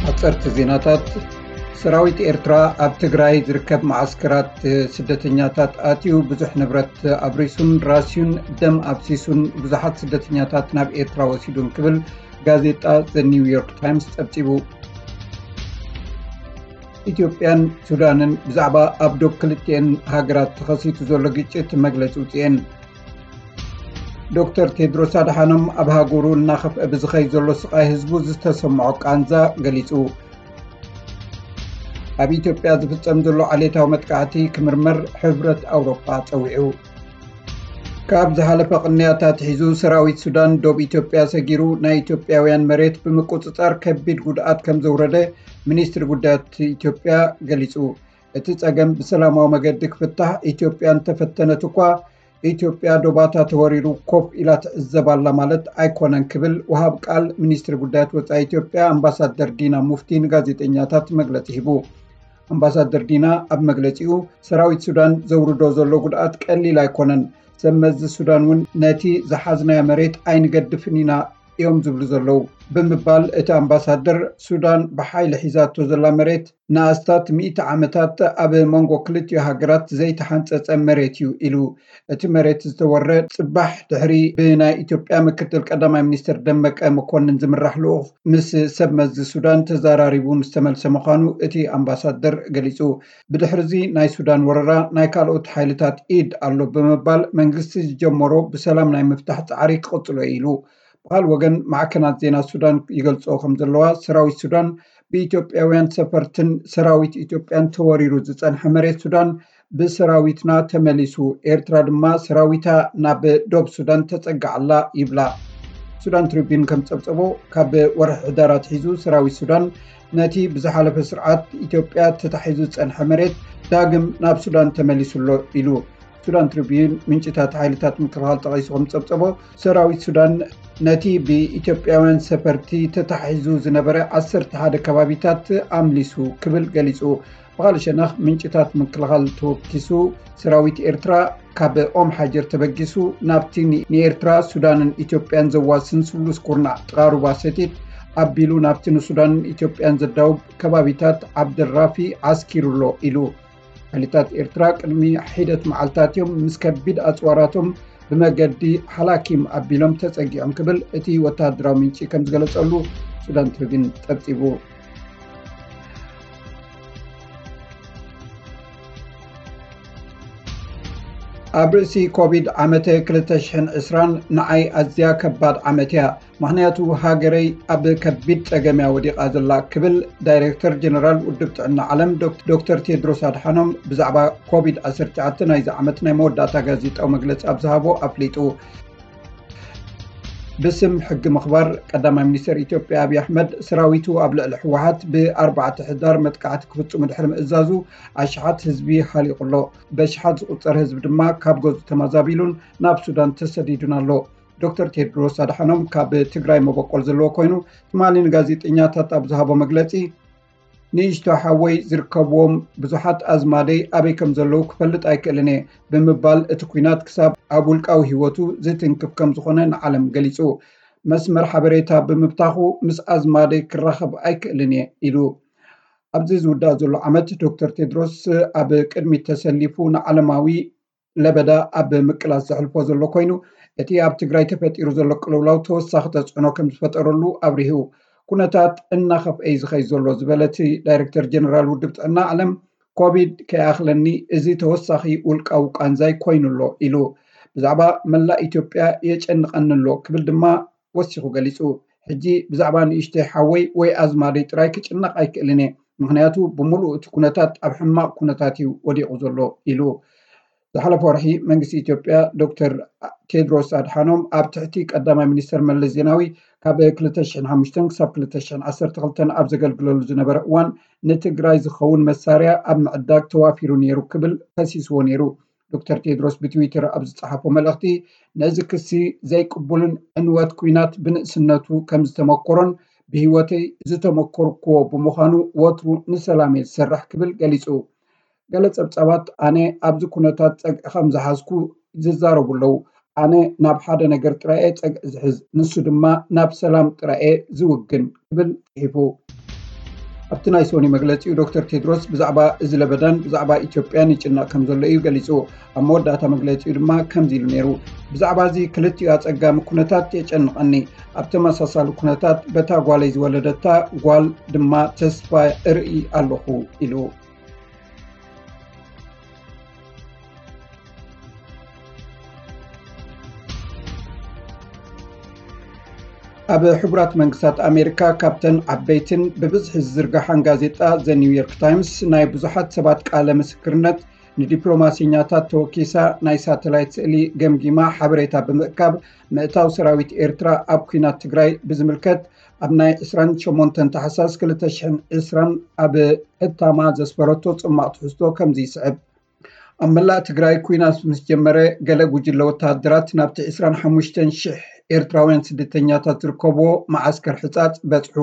ሓፀርቲ ዜናታት። ሰራዊት ኤርትራ ኣብ ትግራይ ዝርከብ መዓስከራት ስደተኛታት ኣትዩ ብዙሕ ንብረት ኣብሪሱን ራስዩን ደም ኣብሲሱን ብዙሓት ስደተኛታት ናብ ኤርትራ ወሲዱን ክብል ጋዜጣ ዘ ኒውዮርክ ታይምስ ፀብፂቡ። ኢትዮጵያን ሱዳንን ብዛዕባ ኣብ ዶብ ክልቲኤን ሃገራት ተኸሲቱ ዘሎ ግጭት መግለፂ ውፅኤን። ዶክተር ቴድሮስ ኣድሓኖም ኣብ ሃገሩ እናኸፍአ ብዝኸይ ዘሎ ስቓይ ህዝቡ ዝተሰምዖ ቃንዛ ገሊጹ። ኣብ ኢትዮጵያ ዝፍጸም ዘሎ ዓሌታዊ መጥቃዕቲ ክምርመር ሕብረት ኣውሮጳ ጸዊዑ። ካብ ዝሓለፈ ቅንያት ኣትሒዙ ሰራዊት ሱዳን ዶብ ኢትዮጵያ ሰጊሩ ናይ ኢትዮጵያውያን መሬት ብምቁጽጻር ከቢድ ጉድኣት ከም ዘውረደ ሚኒስትሪ ጉዳያት ኢትዮጵያ ገሊጹ። እቲ ጸገም ብሰላማዊ መገዲ ክፍታሕ ኢትዮጵያ እንተፈተነት እኳ፣ ኢትዮጵያ ዶባታ ተወሪሩ ኮፍ ኢላ ትዕዘብ ኣላ ማለት ኣይኮነን ክብል ወሃብ ቃል ሚኒስትሪ ጉዳያት ወጻኢ ኢትዮጵያ ኣምባሳደር ዲና ሙፍቲ ንጋዜጠኛታት መግለጺ ሂቡ። ኣምባሳደር ዲና ኣብ መግለጺኡ፣ ሰራዊት ሱዳን ዘውርዶ ዘሎ ጉድኣት ቀሊል ኣይኮነን፣ ሰብ መዚ ሱዳን እውን ነቲ ዝሓዝናዮ መሬት ኣይንገድፍን ኢና እዮም ዝብሉ ዘለዉ ብምባል እቲ ኣምባሳደር፣ ሱዳን ብሓይሊ ሒዛቶ ዘላ መሬት ንኣስታት ሚእቲ ዓመታት ኣብ መንጎ ክልቲኡ ሃገራት ዘይተሓንጸጸ መሬት እዩ ኢሉ። እቲ መሬት ዝተወረ ጽባሕ ድሕሪ ብናይ ኢትዮጵያ ምክትል ቀዳማይ ሚኒስትር ደመቀ መኮንን ዝምራሕ ልኡኽ ምስ ሰብ መዚ ሱዳን ተዘራሪቡ ምስ ተመልሰ ምዃኑ እቲ ኣምባሳደር ገሊጹ። ብድሕሪዚ ናይ ሱዳን ወረራ ናይ ካልኦት ሓይልታት ኢድ ኣሎ ብምባል መንግስቲ ዝጀመሮ ብሰላም ናይ ምፍታሕ ጻዕሪ ክቕጽሎ እዩ ኢሉ። ብኻል ወገን ማዕከናት ዜና ሱዳን ይገልጾ ከም ዘለዋ ሰራዊት ሱዳን ብኢትዮጵያውያን ሰፈርትን ሰራዊት ኢትዮጵያን ተወሪሩ ዝጸንሐ መሬት ሱዳን ብሰራዊትና ተመሊሱ፣ ኤርትራ ድማ ሰራዊታ ናብ ዶብ ሱዳን ተጸግዓላ ይብላ። ሱዳን ትሪቢን ከም ጸብጸቦ ካብ ወርሒ ሕዳር ኣትሒዙ ሰራዊት ሱዳን ነቲ ብዝሓለፈ ስርዓት ኢትዮጵያ ተታሒዙ ዝጸንሐ መሬት ዳግም ናብ ሱዳን ተመሊሱሎ ኢሉ። ሱዳን ትሪቢን ምንጭታት ሓይልታት ምክልኻል ጠቒሱ ከም ጸብጸቦ፣ ሰራዊት ሱዳን ነቲ ብኢትዮጵያውያን ሰፈርቲ ተታሒዙ ዝነበረ ዓሰርተ ሓደ ከባቢታት ኣምሊሱ ክብል ገሊጹ። ብኻልእ ሸነኽ ምንጭታት ምክልኻል ተወኪሱ ሰራዊት ኤርትራ ካብ ኦም ሓጀር ተበጊሱ ናብቲ ኒ-፣ ንኤርትራ፣ ሱዳንን ኢትዮጵያን ዘዋስን ስሉስ ኩርናዕ ጥቓ ሩባ ሰቲት ኣቢሉ ናብቲ ንሱዳንን ኢትዮጵያን ዘዳውብ ከባቢታት ዓብደራፊ ዓስኪሩሎ ኢሉ። ሓይልታት ኤርትራ ቅድሚ ሒደት መዓልታት እዮም ምስ ከቢድ ኣጽዋራቶም ብመገዲ ሓላኪም ኣቢሎም ተጸጊዖም ክብል እቲ ወተሃደራዊ ምንጪ ከም ዝገለጸሉ ሱዳን ትሪቢን ጸብጺቡ። ኣብ ርእሲ ኮቪድ ዓመተ ክልተ ሽሕን ዕስራን ንዓይ ኣዝያ ከባድ ዓመት እያ፣ ምኽንያቱ ሃገረይ ኣብ ከቢድ ጸገም እያ ወዲቓ ዘላ ክብል ዳይሬክተር ጀነራል ውድብ ጥዕና ዓለም ዶክ-፣ ዶክተር ቴድሮስ ኣድሓኖም ብዛዕባ ኮቪድ ዓሰርተ ትሽዓተ ናይዚ ዓመት ናይ መወዳእታ ጋዜጣዊ መግለጺ ኣብ ዝሃቦ ኣፍሊጡ። ብስም ሕጊ ምኽባር ቀዳማይ ሚኒስትር ኢትዮጵያ ኣብይ ኣሕመድ ሰራዊቱ ኣብ ልዕሊ ህወሓት ብኣርባዕተ ሕዳር መጥቃዕቲ ክፍጽሙ ድሕሪ ምእዛዙ ኣሽሓት ህዝቢ ሃሊቑ ኣሎ። በሽሓት ዝቑጸር ህዝቢ ድማ ካብ ገዙ ተማዛቢሉን ናብ ሱዳን ተሰዲዱን ኣሎ። ዶክተር ቴድሮስ ኣድሓኖም ካብ ትግራይ መበቆል ዘለዎ ኮይኑ ትማሊ ንጋዜጠኛታት ኣብ ዝሃቦ መግለጺ፣ ንእሽቶ ሓወይ ዝርከብዎም ብዙሓት ኣዝማደይ ኣበይ ከም ዘለዉ ክፈልጥ ኣይክእልን እየ ብምባል እቲ ኲናት ክሳብ ኣብ ውልቃዊ ህይወቱ ዝትንክፍ ከም ዝኾነ ንዓለም ገሊጹ። መስመር ሓበሬታ ብምብታኹ ምስ ኣዝማደይ ክራኸብ ኣይክእልን እየ ኢሉ። ኣብዚ ዝውዳእ ዘሎ ዓመት ዶክተር ቴድሮስ ኣብ ቅድሚት ተሰሊፉ ንዓለማዊ ለበዳ ኣብ ምቅላስ ዘሕልፎ ዘሎ ኮይኑ፣ እቲ ኣብ ትግራይ ተፈጢሩ ዘሎ ቅልውላው ተወሳኺ ተጽዕኖ ከም ዝፈጠረሉ ኣብሪሁ። ኩነታት እናኸፍአ እዩ ዝኸይድ ዘሎ ዝበለ እቲ ዳይሬክተር ጀነራል ውድብ ጥዕና ዓለም፣ ኮቪድ ከይኣኽለኒ እዚ ተወሳኺ ውልቃዊ ቃንዛይ ኮይኑ ኣሎ ኢሉ። ብዛዕባ መላእ ኢትዮጵያ የጨንቐኒ ኣሎ ክብል ድማ ወሲኹ ገሊጹ። ሕጂ ብዛዕባ ንእሽተይ ሓወይ ወይ ኣዝማደይ ጥራይ ክጭነቕ ኣይክእልን እየ፣ ምኽንያቱ ብምሉእ እቲ ኩነታት ኣብ ሕማቕ ኩነታት እዩ ወዲቑ ዘሎ ኢሉ። ዝሓለፈ ወርሒ መንግስቲ ኢትዮጵያ ዶክተር ቴድሮስ ኣድሓኖም ኣብ ትሕቲ ቀዳማይ ሚኒስተር መለስ ዜናዊ ካብ ክልተ ሽሕን ሓሙሽተን ክሳብ ክልተ ሽሕን ዓሰርተ ክልተን ኣብ ዘገልግለሉ ዝነበረ እዋን ንትግራይ ዝኸውን መሳርያ ኣብ ምዕዳግ ተዋፊሩ ነይሩ ክብል ከሲስዎ ነይሩ። ዶክተር ቴድሮስ ብትዊተር ኣብ ዝጸሓፎ መልእኽቲ፣ ነዚ ክሲ ዘይቅቡልን ዕንወት ኲናት ብንእስነቱ ከም ዝተመኮሮን ብህይወተይ ዝተመኮርክዎ ብምዃኑ ወትሩ ንሰላም እየ ዝሰርሕ ክብል ገሊጹ። ገለ ጸብጻባት ኣነ ኣብዚ ኩነታት ጸግዒ ከም ዝሓዝኩ ዝዛረቡ ኣለዉ። ኣነ ናብ ሓደ ነገር ጥራይ እየ ጸግዒ ዝሕዝ፣ ንሱ ድማ ናብ ሰላም ጥራይ እየ ዝውግን ክብል ጽሒፉ። ኣብቲ ናይ ሶኒ መግለጺኡ፣ ዶክተር ቴድሮስ ብዛዕባ እዚ ለበዳን ብዛዕባ ኢትዮጵያን ይጭነቕ ከም ዘሎ እዩ ገሊጹ። ኣብ መወዳእታ መግለጺኡ ድማ ከምዚ ኢሉ ነይሩ። ብዛዕባ እዚ ክልቲኡ ኣጸጋሚ ኩነታት የጨንቐኒ። ኣብ ተመሳሳሊ ኩነታት በታ ጓለይ ዝወለደታ ጓል ድማ ተስፋ እርኢ ኣለኹ ኢሉ። ኣብ ሕቡራት መንግስታት ኣሜሪካ ካብተን ዓበይትን ብብዝሒ ዝዝርጋሓን ጋዜጣ ዘ ኒውዮርክ ታይምስ ናይ ብዙሓት ሰባት ቃለ ምስክርነት ንዲፕሎማሲኛታት ተወኪሳ ናይ ሳተላይት ስእሊ ገምጊማ ሓበሬታ ብምእካብ ምእታው ሰራዊት ኤርትራ ኣብ ኩናት ትግራይ ብዝምልከት ኣብ ናይ ዕስራን ሸሞንተን ታሕሳስ ክልተ ሽሕን ዕስራን ኣብ ሕታማ ዘስፈረቶ ጽማቕ ትሕዝቶ ከምዚ ይስዕብ። ኣብ መላእ ትግራይ ኩናት ምስ ጀመረ፣ ገለ ጉጅለ ወተሃደራት ናብቲ ዕስራን ሓሙሽተን ሽሕ ኤርትራውያን ስደተኛታት ዝርከብዎ መዓስከር ሕጻጽ በጽሑ።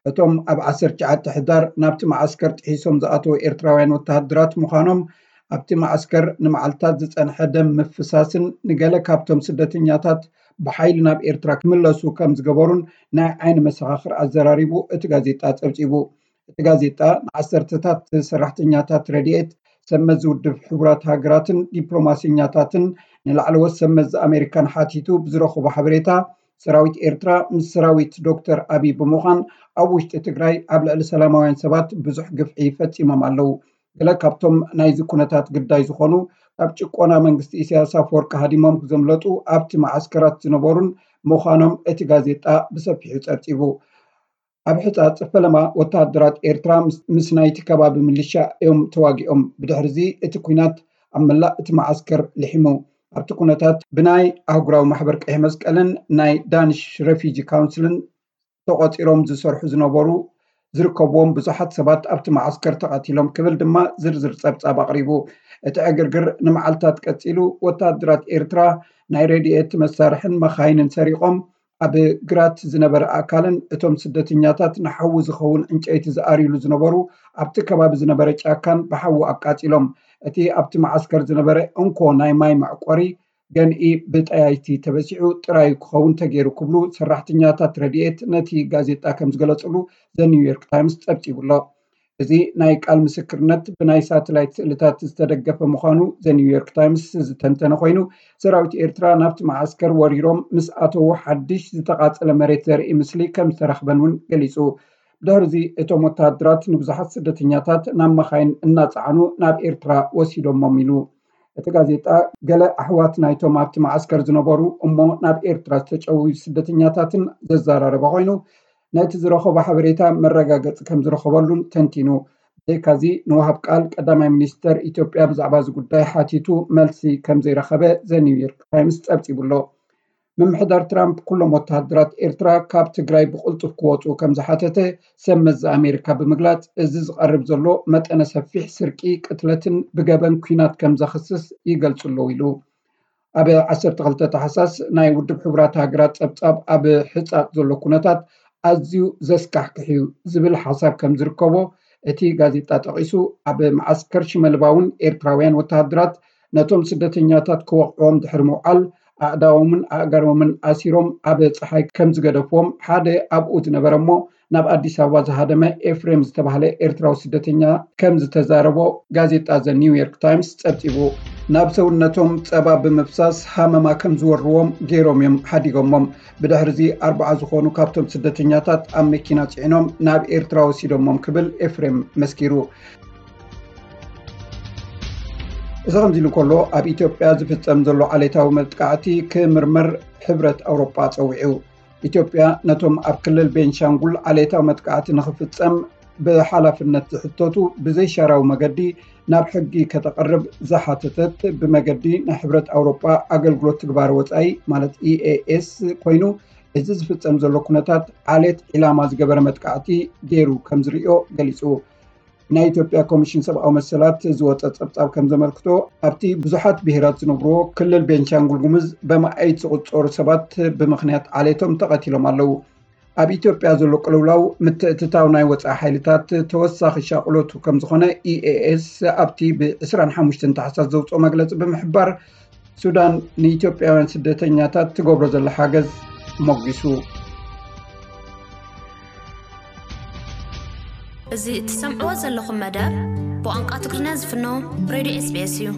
እቶም ኣብ ዓሰርተ ትሽዓተ ሕዳር ናብቲ መዓስከር ጥሒሶም ዝኣተዉ ኤርትራውያን ወተሃደራት ምዃኖም፣ ኣብቲ መዓስከር ንመዓልታት ዝጸንሐ ደም ምፍሳስን ንገለ ካብቶም ስደተኛታት ብሓይሊ ናብ ኤርትራ ክምለሱ ከም ዝገበሩን ናይ ዓይኒ መሰኻኽር ኣዘራሪቡ እቲ ጋዜጣ ጸብጺቡ። እቲ ጋዜጣ ንዓሰርተታት ሰራሕተኛታት ረድኤት፣ ሰብ መዚ ውድብ ሕቡራት ሃገራትን ዲፕሎማሲኛታትን ንላዕለዎት ሰብ መዚ ኣሜሪካን ሓቲቱ ብዝረኸቦ ሓበሬታ፣ ሰራዊት ኤርትራ ምስ ሰራዊት ዶክተር ኣቢይ ብምዃን ኣብ ውሽጢ ትግራይ ኣብ ልዕሊ ሰላማውያን ሰባት ብዙሕ ግፍዒ ፈጺሞም ኣለዉ። ገለ ካብቶም ናይዚ ኩነታት ግዳይ ዝኾኑ፣ ካብ ጭቆና መንግስቲ ኢሳያስ ኣፈወርቂ ሃዲሞም ዘምለጡ ኣብቲ መዓስከራት ዝነበሩን ምዃኖም እቲ ጋዜጣ ብሰፊሑ ጸብጺቡ። ኣብ ሕጻጽ ፈለማ ወተሃደራት ኤርትራ ምስ፣ ምስ ናይቲ ከባቢ ሚሊሻ እዮም ተዋጊኦም። ብድሕርዚ እቲ ኲናት ኣብ መላእ እቲ መዓስከር ልሒሙ። ኣብቲ ኩነታት ብናይ ኣህጉራዊ ማሕበር ቀይሕ መስቀልን ናይ ዳንሽ ረፊጂ ካውንስልን ተቖጺሮም ዝሰርሑ ዝነበሩ ዝርከብዎም ብዙሓት ሰባት ኣብቲ መዓስከር ተቐቲሎም ክብል ድማ ዝርዝር ጸብጻብ ኣቕሪቡ። እቲ ዕግርግር ንመዓልታት ቀጺሉ፣ ወተሃደራት ኤርትራ ናይ ረድኤት መሳርሕን መኻይንን ሰሪቖም ኣብ ግራት ዝነበረ ኣካልን እቶም ስደተኛታት ንሓዊ ዝኸውን ዕንጨይቲ ዝኣርዩሉ ዝነበሩ ኣብቲ ከባቢ ዝነበረ ጫካን ብሓዊ ኣቃጺሎም። እቲ ኣብቲ መዓስከር ዝነበረ እንኮ ናይ ማይ መዕቆሪ ገንኢ ብጠያይቲ ተበሲዑ ጥራይ ክኸውን ተገይሩ ክብሉ ሰራሕተኛታት ረድኤት ነቲ ጋዜጣ ከም ዝገለጽሉ ዘ ኒውዮርክ ታይምስ ጸብጺቡ ኣሎ። እዚ ናይ ቃል ምስክርነት ብናይ ሳተላይት ስእልታት ዝተደገፈ ምዃኑ ዘ ኒውዮርክ ታይምስ ዝተንተነ ኮይኑ፣ ሰራዊት ኤርትራ ናብቲ መዓስከር ወሪሮም ምስ ኣተዉ ሓድሽ ዝተቓጸለ መሬት ዘርኢ ምስሊ ከም ዝተረኽበን እውን ገሊጹ። ብድሕርዚ እቶም ወተሃደራት ንብዙሓት ስደተኛታት ናብ መኻይን እናጸዓኑ ናብ ኤርትራ ወሲዶሞም ኢሉ። እቲ ጋዜጣ ገለ ኣሕዋት ናይቶም ኣብቲ መዓስከር ዝነበሩ እሞ ናብ ኤርትራ ዝተጨውዩ ስደተኛታትን ዘዘራረበ ኮይኑ፣ ነቲ ዝረኸቦ ሓበሬታ መረጋገጺ ከም ዝረኸበሉን ተንቲኑ። ብዘይካዚ ንወሃብ ቃል ቀዳማይ ሚኒስተር ኢትዮጵያ ብዛዕባ እዚ ጉዳይ ሓቲቱ መልሲ ከም ዘይረኸበ ዘ ኒውዮርክ ታይምስ ጸብጺቡ ኣሎ። ምምሕዳር ትራምፕ ኩሎም ወተሃደራት ኤርትራ ካብ ትግራይ ብቕልጡፍ ክወጹ ከም ዝሓተተ ሰብ መዚ ኣሜሪካ ብምግላጽ፣ እዚ ዝቐርብ ዘሎ መጠነ ሰፊሕ ስርቂ፣ ቅትለትን ብገበን ኲናት ከም ዘኽስስ ይገልጹ ኣለዉ ኢሉ። ኣብ ዓሰርተ ክልተ ታሕሳስ ናይ ውድብ ሕቡራት ሃገራት ጸብጻብ ኣብ ሕጻጽ ዘሎ ኩነታት ኣዝዩ ዘስካሕክሕ እዩ ዝብል ሓሳብ ከም ዝርከቦ እቲ ጋዜጣ ጠቒሱ፣ ኣብ መዓስከር ሽመልባ እውን ኤርትራውያን ወተሃደራት ነቶም ስደተኛታት ክወቕዕዎም ድሕሪ ምውዓል፣ ኣእዳዎምን ኣእጋሮምን ኣሲሮም ኣብ ጸሓይ ከም ዝገደፍዎም ሓደ ኣብኡ ዝነበረ እሞ ናብ ኣዲስ ኣበባ ዝሃደመ ኤፍሬም ዝተባህለ ኤርትራዊ ስደተኛ ከም ዝተዛረቦ ጋዜጣ ዘ ኒውዮርክ ታይምስ ጸብጺቡ። ናብ ሰውነቶም ጸባ ብምፍሳስ ሃመማ ከም ዝወርዎም ገይሮም እዮም ሓዲጎሞም። ብድሕርዚ ኣርባዓ ዝኾኑ ካብቶም ስደተኛታት ኣብ መኪና ጽዒኖም ናብ ኤርትራ ወሲዶሞም ክብል ኤፍሬም መስኪሩ። እዚ ከምዚ ኢሉ እንከሎ፣ ኣብ ኢትዮጵያ ዝፍጸም ዘሎ ዓሌታዊ መጥቃዕቲ ክምርመር ሕብረት ኣውሮጳ ጸዊዑ። ኢትዮጵያ ነቶም ኣብ ክልል ቤንሻንጉል ዓሌታዊ መጥቃዕቲ ንኽፍጸም ብሓላፍነት ዝሕተቱ ብዘይሻራዊ መገዲ ናብ ሕጊ ከተቕርብ ዝሓተተት፣ ብመገዲ ናይ ሕብረት ኣውሮጳ ኣገልግሎት ትግባረ ወጻኢ ማለት ኢኤኤስ ኮይኑ፣ እዚ ዝፍጸም ዘሎ ኩነታት ዓሌት ዒላማ ዝገበረ መጥቃዕቲ ገይሩ ከም ዝርእዮ ገሊጹ። ናይ ኢትዮጵያ ኮሚሽን ሰብኣዊ መሰላት ዝወጸ ጸብጻብ ከም ዘመልክቶ፣ ኣብቲ ብዙሓት ብሄራት ዝነብርዎ ክልል ቤንሻንጉል ጉሙዝ በመኣይት ዝቑጸሩ ሰባት ብምኽንያት ዓሌቶም ተቐቲሎም ኣለዉ። ኣብ ኢትዮጵያ ዘሎ ቅልውላው ምትእትታው ናይ ወጻኢ ሓይልታት ተወሳኺ ሻቕሎቱ ከም ዝኾነ ኢኤኤስ ኣብቲ ብ ዕስራን ሓሙሽተን ታሕሳስ ዘውጽኦ መግለጺ ብምሕባር፣ ሱዳን ንኢትዮጵያውያን ስደተኛታት ትገብሮ ዘላ ሓገዝ ሞጊሱ። እዚ እትሰምዕዎ ዘለኹም መደብ ብቋንቋ ትግርኛ ዝፍኖ ሬድዮ ኤስቢኤስ እዩ።